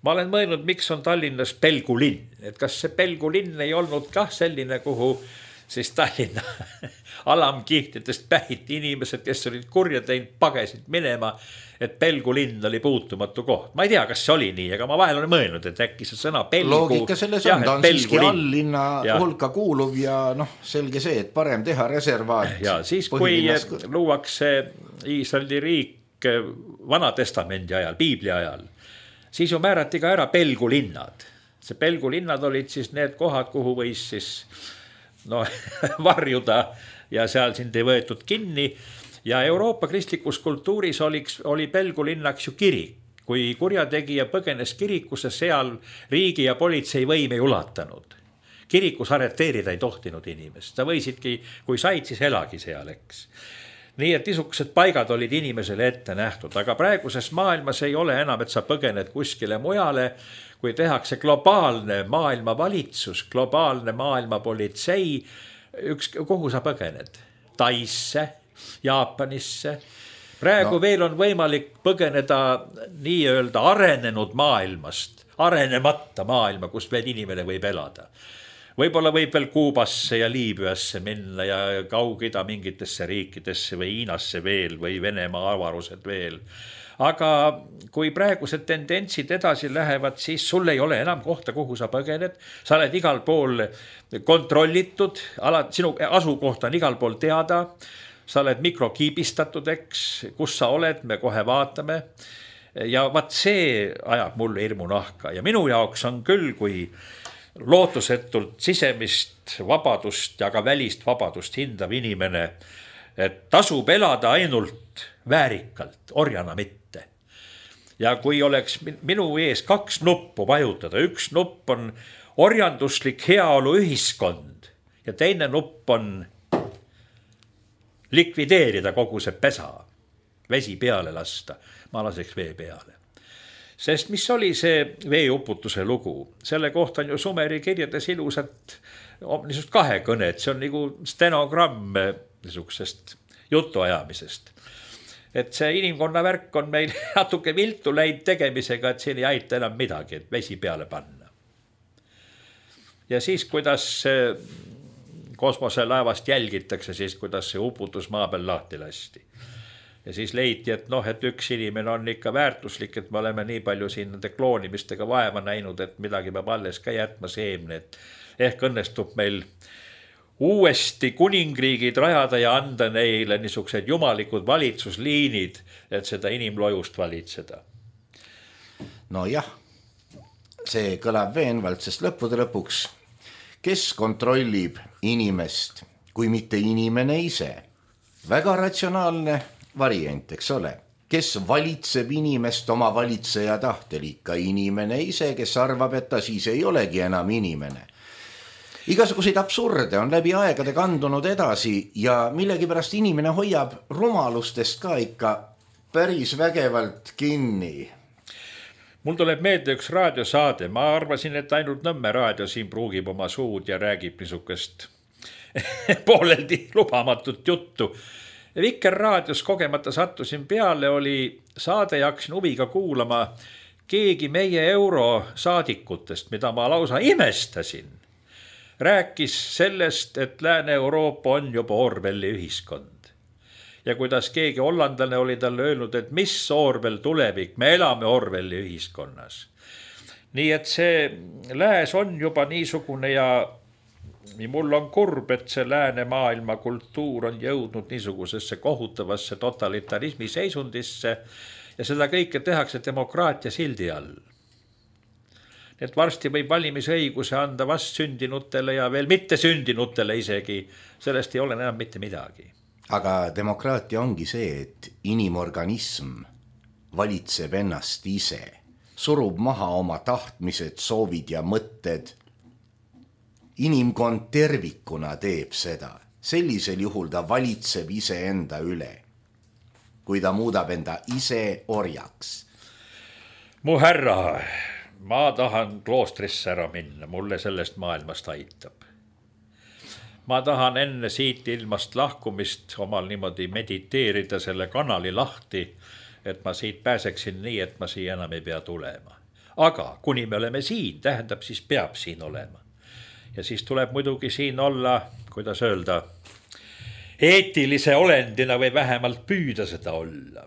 B: Ma olen mõelnud, miks on Tallinnas pelgulinn, et kas see pelgulinn ei olnud kah selline, kuhu siis Tallinna alamkihtidest pähiti inimesed, kes olid kurja teinud, pagesid minema, et pelgulinn oli puutumatu koht. Ma ei tea, kas see oli nii, aga ma vahel olen mõelnud, et äkki see sõna pelgu...
A: Loogika selles on, ta on siiski alllinna hulka kuuluv ja noh, selge see, et parem teha reservaat.
B: Ja siis, kui luuakse Iisraeli riik Vana Testamendi ajal, Piibli ajal, siis ju määrati ka ära pelgulinnad. See pelgulinnad olid siis need kohad, kuhu võis siis no, varjuda ja seal sind ei võetud kinni. Ja Euroopa kristlikus kultuuris oli, oli pelgulinnaks ju kirik. Kui kurjategija põgenes kirikusse, seal riigi ja politsei võim ei ulatanud. Kirikus arreteerida ei tohtinud inimest. Sa võisidki, kui said, siis elagi seal, eks. Nii et niisugused paigad olid inimesele ette nähtud, aga praeguses maailmas ei ole enam, et sa põgened kuskile mujale, kui tehakse globaalne maailmavalitsus, globaalne maailmapolitsei, üks, kuhu sa põgened? Taisse, Jaapanisse. Praegu no. Veel on võimalik põgeneda nii-öelda arenenud maailmast, arenemata maailma, kus veel inimene võib elada. Võib-olla võib veel Kuubasse ja Liibüasse minna ja Kaug-Ida mingitesse riikidesse või Hiinasse veel või Venemaa avarused veel. Aga kui praegused tendentsid edasi lähevad, siis sul ei ole enam kohta, kuhu sa põgened. Sa oled igal pool kontrollitud, sinu asukoht on igal pool teada. Sa oled mikrokiibistatud, eks, kus sa oled, me kohe vaatame. Ja vaat see ajab mulle hirmu nahka ja minu jaoks on küll, kui lootusetult sisemist vabadust ja ka välist vabadust hindav inimene, et tasub elada ainult väärikalt, orjana mitte. Ja kui oleks minu ees kaks nuppu vajutada, üks nupp on orjanduslik heaolu ühiskond ja teine nupp on likvideerida kogu see pesa, vesi peale lasta, ma laseks vee peale. Sest mis oli see veeuputuse lugu? Selle kohta on ju Sumeri kirjades ilusad niisugust kahekõnet, see on nagu stenogramm niisugusest jutuajamisest. Et see inimkonna värk on meil natuke viltu läinud tegemisega, et siin ei aita enam midagi, et vesi peale panna. Ja siis, kuidas kosmoselaevast jälgitakse, siis kuidas see uputus maa peal lahti lasti. Ja siis leiti, et noh, et üks inimene on ikka väärtuslik, et me oleme nii palju siin nende kloonimistega vaeva näinud, et midagi peab alles ka jätma seemne, et ehk õnnestub meil uuesti kuningriigid rajada ja anda neile niisugused jumalikud valitsusliinid, et seda inimlojust valitseda.
A: No jah, see kõlab veenvalt, sest lõppude lõpuks, kes kontrollib inimest, kui mitte inimene ise? Väga ratsionaalne variant, eks ole. Kes valitseb inimest oma valitseja tahtel, ikka inimene ise, kes arvab, et ta siis ei olegi enam inimene. Igasuguseid absurde on läbi aegade kandunud edasi ja millegipärast inimene hoiab rumalustest ka ikka päris vägevalt kinni.
B: Mul tuleb meelde üks raadiosaade, ma arvasin, et ainult Nõmme raadio siin pruugib oma suud ja räägib niisugust pooleldi lubamatut juttu. Vikerraadios kogemata sattusin peale, oli saade ja hakkasin huviga kuulama keegi meie eurosaadikutest, mida ma lausa imestasin. Rääkis sellest, et Lääne-Euroopa on juba Orwelli ühiskond. Ja kuidas keegi hollandlane oli talle öelnud, et mis Orwell tulevik, me elame Orwelli ühiskonnas. Nii et see lääs on juba niisugune ja mul on kurb, et see lääne maailma kultuur on jõudnud niisugusesse kohutavasse totalitarismi seisundisse ja seda kõike tehakse demokraatia sildi all. Et varsti võib valimisõiguse anda vastsündinutele ja veel mitte sündinutele isegi, sellest ei ole enam mitte midagi.
A: Aga demokraatia ongi see, et inimorganism valitseb ennast ise, surub maha oma tahtmised, soovid ja mõtted. Inimkond tervikuna teeb seda. Sellisel juhul ta valitseb ise enda üle, kui ta muudab enda ise orjaks.
B: Mu härra, ma tahan kloostrisse ära minna, mulle sellest maailmast aitab. Ma tahan enne siit ilmast lahkumist omal niimoodi mediteerida selle kanali lahti, et ma siit pääseksin nii, et ma siia enam ei pea tulema. Aga kuni me oleme siin, tähendab siis peab siin olema. Ja siis tuleb muidugi siin olla, kuidas öelda, eetilise olendina või vähemalt püüda seda olla.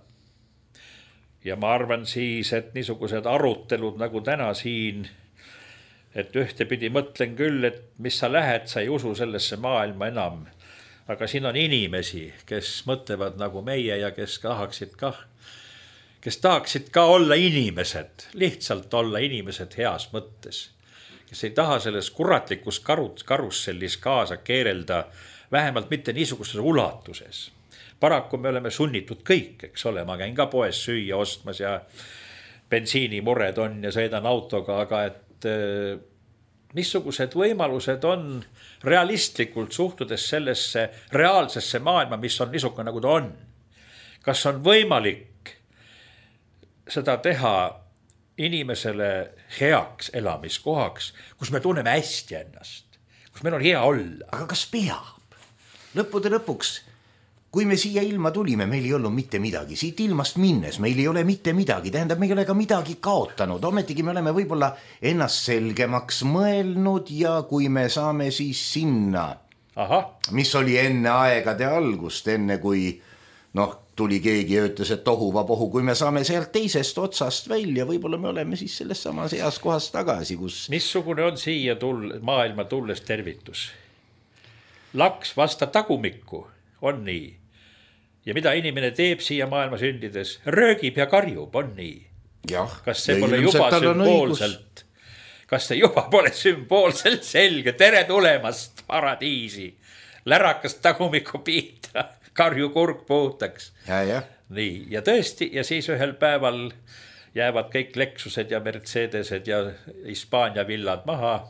B: Ja ma arvan siis, et niisugused arutelud nagu täna siin, et ühtepidi mõtlen küll, et mis sa lähed, sa ei usu sellesse maailma enam. Aga siin on inimesi, kes mõtlevad nagu meie ja kes tahaksid ka, kes tahaksid ka olla inimesed, lihtsalt olla inimesed heas mõttes. Kes ei taha selles kuratlikus karussellis kaasa keerelda, vähemalt mitte niisuguses ulatuses. Paraku me oleme sunnitud kõik, eks ole, ma käin ka poes süüa ostmas ja bensiinimured on ja sõidan autoga, aga et missugused võimalused on realistlikult suhtudes sellesse reaalsesse maailma, mis on niisugune nagu ta on. Kas on võimalik seda teha inimesele heaks elamiskohaks, kus me tunneme hästi ennast, kus meil on hea olla?
A: Aga kas peab? Lõppude lõpuks, kui me siia ilma tulime, meil ei olnud mitte midagi. Siit ilmast minnes meil ei ole mitte midagi. Tähendab, me ei ole ka midagi kaotanud. Ometigi me oleme võib-olla ennast selgemaks mõelnud ja kui me saame siis sinna,
B: Aha.
A: mis oli enne aegade algust, enne kui noh, tuli keegi ja ütles, et tohuva pohu, kui me saame sealt teisest otsast välja, võib-olla me oleme siis selles samas heas kohas tagasi, kus...
B: Missugune on siia tull, maailma tulles tervitus? Laks vasta tagumikku, on nii. Ja mida inimene teeb siia maailma sündides? Röögib ja karjub, on nii.
A: Jah,
B: kas see pole juba sümboolselt, kas see juba pole sümboolselt selge? Tere tulemast paradiisi. Lärakas tagumiku piita, karju kurg puhtaks.
A: Ja, ja.
B: Nii, ja tõesti, ja siis ühel päeval jäävad kõik Lexused ja Mercedesed ja Hispaania villad maha.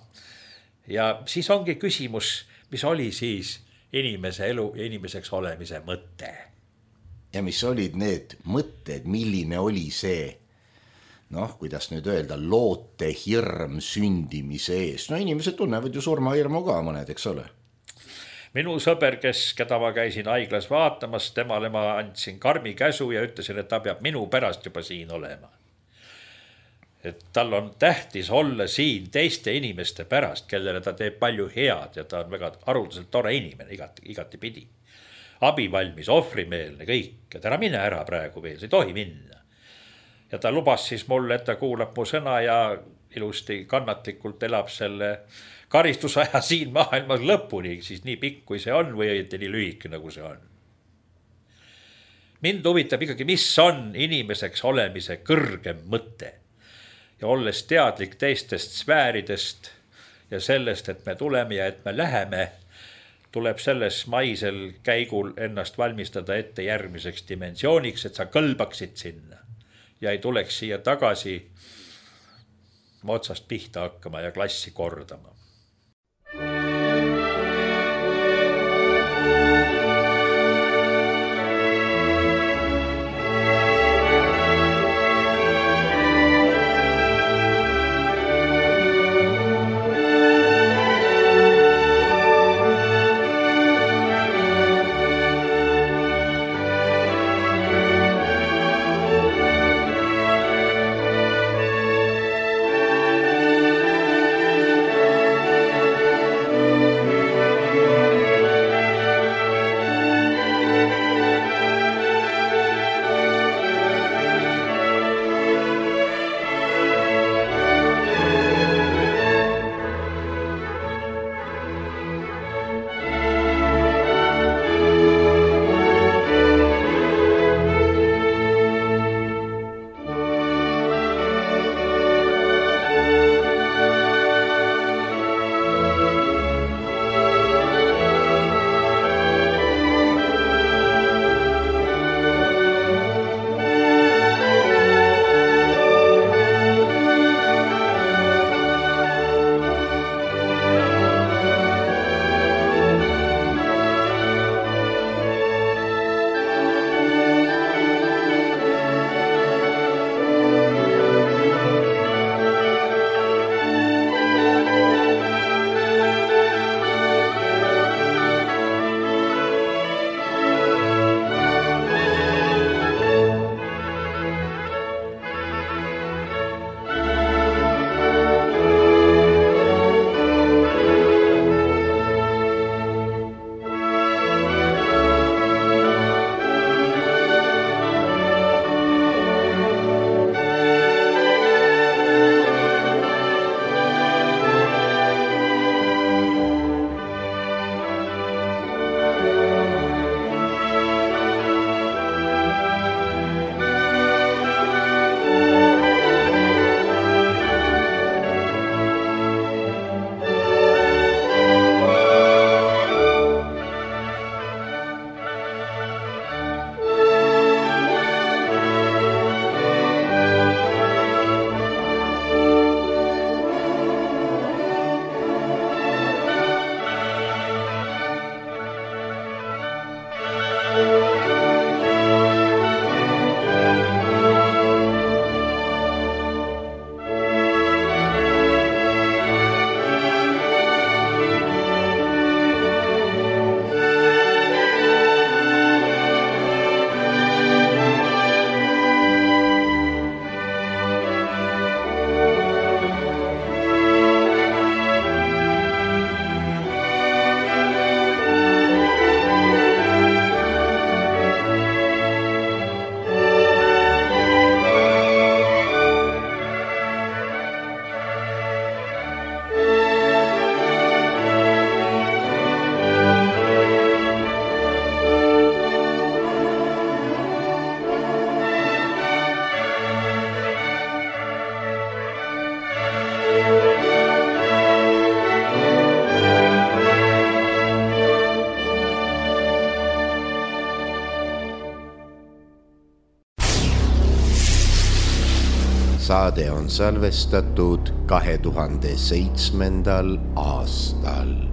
B: Ja siis ongi küsimus, mis oli siis inimese elu ja inimeseks olemise mõte.
A: Ja mis olid need mõtted, milline oli see, noh, kuidas nüüd öelda, loote hirm sündimise ees. No inimesed tunnevad ju surmahirmu ka mõned, eks ole.
B: Minu sõber, kes, keda ma käisin haiglas vaatamas, temale ma andsin karmi käsu ja ütlesin, et ta peab minu pärast juba siin olema. Et tal on tähtis olla siin teiste inimeste pärast, kellele ta teeb palju head ja ta on väga haruldaselt tore inimene igati, igati pidi. Abivalmis, ohvrimeelne, kõik, et ära mine ära praegu veel, see ei tohi minna. Ja ta lubas siis mulle, et ta kuulab mu sõna ja ilusti kannatlikult elab selle karistusaja siin maailmas lõpuni, siis nii pikk kui see on või õieti nii lühike nagu see on. Mind huvitab ikkagi, mis on inimeseks olemise kõrgem mõte. Ja olles teadlik teistest sfääridest ja sellest, et me tuleme ja et me läheme, tuleb selles maisel käigul ennast valmistada ette järgmiseks dimensiooniks, et sa kõlbaksid sinna ja ei tuleks siia tagasi otsast pihta hakkama ja klassi kordama.
A: saade on salvestatud kahe tuhande seitsmendal aastal.